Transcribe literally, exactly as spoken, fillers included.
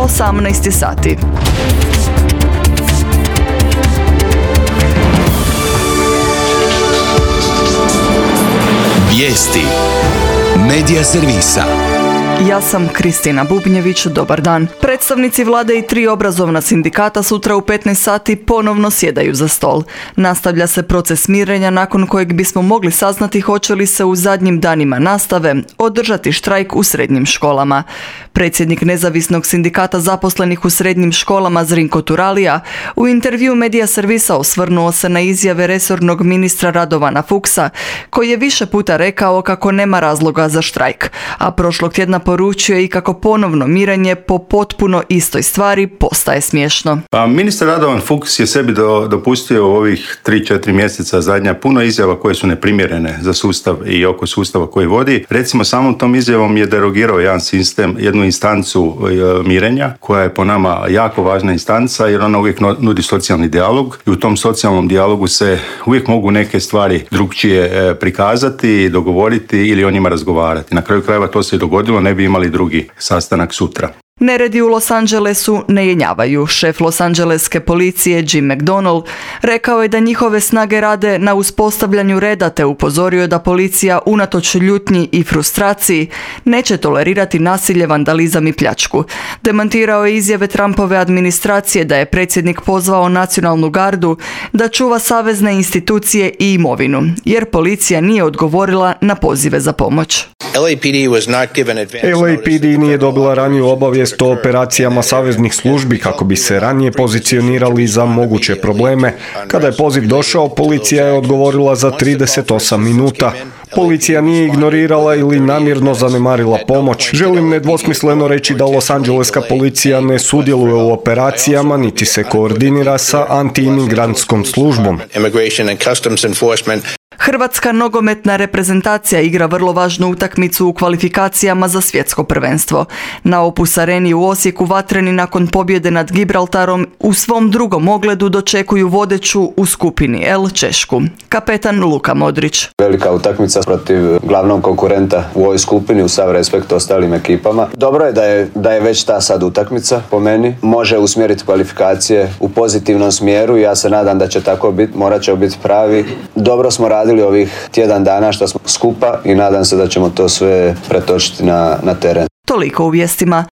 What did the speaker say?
osamnaest sati. Vijesti Medija servisa. Ja sam Kristina Bubnjević, dobar dan. Predstavnici vlade i tri obrazovna sindikata sutra u petnaest sati ponovno sjedaju za stol. Nastavlja se proces mirenja nakon kojeg bismo mogli saznati hoće li se u zadnjim danima nastave održati štrajk u srednjim školama. Predsjednik nezavisnog sindikata zaposlenih u srednjim školama Zrinko Turalija u intervju Medija servisa osvrnuo se na izjave resornog ministra Radovana Fuchsa, koji je više puta rekao kako nema razloga za štrajk, a prošlog tjedna poručio i kako ponovno mirenje po potpuno istoj stvari postaje smiješno. Pa, ministar Radovan Fuchs je sebi do, dopustio u ovih tri četiri mjeseca zadnja puno izjava koje su neprimjerene za sustav i oko sustava koji vodi. Recimo, samom tom izjavom je derogirao jedan sistem, jednu instancu e, mirenja, koja je po nama jako važna instanca jer ona uvijek nudi socijalni dijalog i u tom socijalnom dijalogu se uvijek mogu neke stvari drukčije e, prikazati, dogovoriti ili o njima razgovarati. Na kraju krajeva to se i dogodilo, ne bi imali drugi sastanak sutra. Neredi u Los Angelesu ne jenjavaju. Šef Los Angeleske policije Jim McDonnell rekao je da njihove snage rade na uspostavljanju reda te upozorio da policija unatoč ljutnji i frustraciji neće tolerirati nasilje, vandalizam i pljačku. Demantirao je izjave Trumpove administracije da je predsjednik pozvao nacionalnu gardu da čuva savezne institucije i imovinu, jer policija nije odgovorila na pozive za pomoć. L A P D was not given advance L A P D nije dobila raniju obavijest o operacijama saveznih službi kako bi se ranije pozicionirali za moguće probleme. Kada je poziv došao, policija je odgovorila za trideset osam minuta. Policija nije ignorirala ili namjerno zanemarila pomoć. Želim nedvosmisleno reći da Los Angeleska policija ne sudjeluje u operacijama niti se koordinira sa anti-imigrantskom službom. Hrvatska nogometna reprezentacija igra vrlo važnu utakmicu u kvalifikacijama za svjetsko prvenstvo. Na Opus Areni u Osijeku vatreni nakon pobjede nad Gibraltarom u svom drugom ogledu dočekuju vodeću u skupini L Češku. Kapetan Luka Modrić. Velika utakmica protiv glavnog konkurenta u ovoj skupini, u sav respekt ostalim ekipama. Dobro je da je, da je već ta sad utakmica, po meni. Može usmjeriti kvalifikacije u pozitivnom smjeru i ja se nadam da će tako biti, morat će biti pravi. Dobro smo radili ovih tjedan dana što smo skupa i nadam se da ćemo to sve pretočiti na, na teren. Toliko u vijestima.